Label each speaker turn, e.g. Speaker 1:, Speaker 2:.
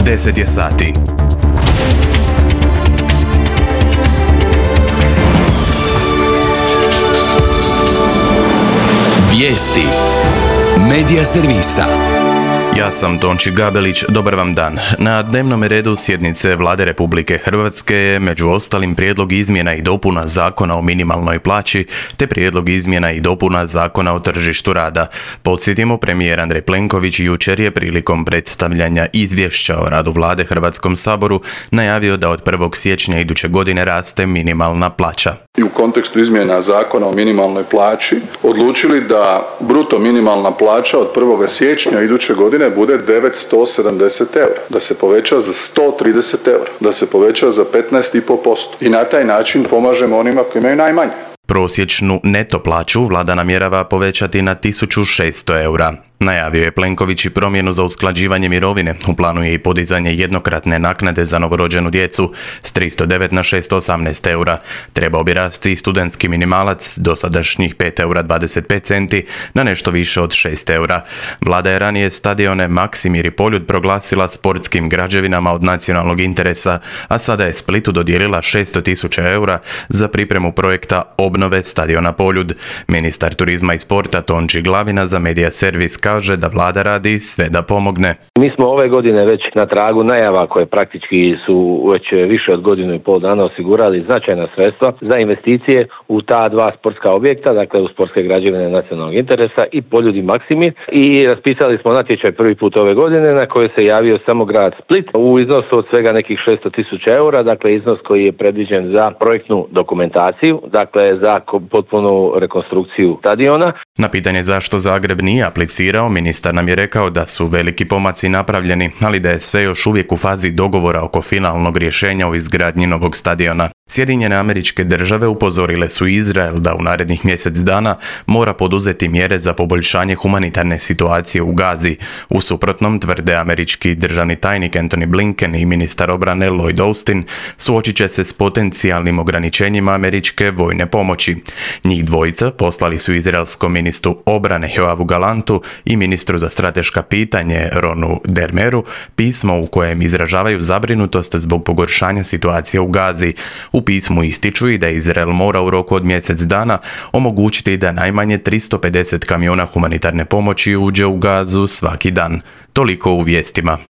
Speaker 1: 10 je sati.
Speaker 2: Vijesti Medija servisa.
Speaker 1: Ja sam Tonči Gabelić, dobar vam dan. Na dnevnom redu sjednice Vlade Republike Hrvatske je među ostalim prijedlog izmjena i dopuna Zakona o minimalnoj plaći te prijedlog izmjena i dopuna Zakona o tržištu rada. Podsjetimo, premijer Andrej Plenković jučer je prilikom predstavljanja izvješća o radu Vlade Hrvatskom saboru najavio da od 1. siječnja iduće godine raste minimalna plaća.
Speaker 3: I u kontekstu izmjena Zakona o minimalnoj plaći odlučili da bruto minimalna plaća od 1. siječnja iduće godine bude 970 eura, da se poveća za 130 eura, da se poveća za 15,5% i na taj način pomažemo onima koji imaju najmanje.
Speaker 1: Prosječnu neto plaću Vlada namjerava povećati na 1600 eura. Najavio je Plenković i promjenu za usklađivanje mirovine. U planu je i podizanje jednokratne naknade za novorođenu djecu s 309 na 618 eura. Trebao bi rasti i studentski minimalac s dosadašnjih 5 eura 25 centi na nešto više od 6 eura. Vlada je ranije stadione Maksimir i Poljud proglasila sportskim građevinama od nacionalnog interesa, a sada je Splitu dodijelila 600.000 eura za pripremu projekta obnove stadiona Poljud. Ministar turizma i sporta Tonči Glavina za Medija servis kaže da Vlada radi sve da pomogne.
Speaker 4: Mi smo ove godine već na tragu najava koje praktički su već više od godinu i pol dana osigurali značajna sredstva za investicije u ta dva sportska objekta, dakle u sportske građevine nacionalnog interesa i Poljud i Maksimir, i raspisali smo natječaj prvi put ove godine na koje se javio samo grad Split u iznosu od svega nekih 600.000 eura, dakle iznos koji je predviđen za projektnu dokumentaciju, dakle za potpunu rekonstrukciju stadiona.
Speaker 1: Na pitanje zašto Zagreb nije aplicirao, ministar nam je rekao da su veliki pomaci napravljeni, ali da je sve još uvijek u fazi dogovora oko finalnog rješenja o izgradnji novog stadiona. Sjedinjene Američke Države upozorile su Izrael da u narednih mjesec dana mora poduzeti mjere za poboljšanje humanitarne situacije u Gazi. U suprotnom, tvrde američki državni tajnik Antony Blinken i ministar obrane Lloyd Austin, suočit će se s potencijalnim ograničenjima američke vojne pomoći. Njih dvojica poslali su izraelskom ministru obrane Joavu Galantu i ministru za strateška pitanje Ronu Dermeru pismo u kojem izražavaju zabrinutost zbog pogoršanja situacije u Gazi. U pismu ističu i da Izrael mora u roku od mjesec dana omogućiti da najmanje 350 kamiona humanitarne pomoći uđe u Gazu svaki dan. Toliko u vijestima.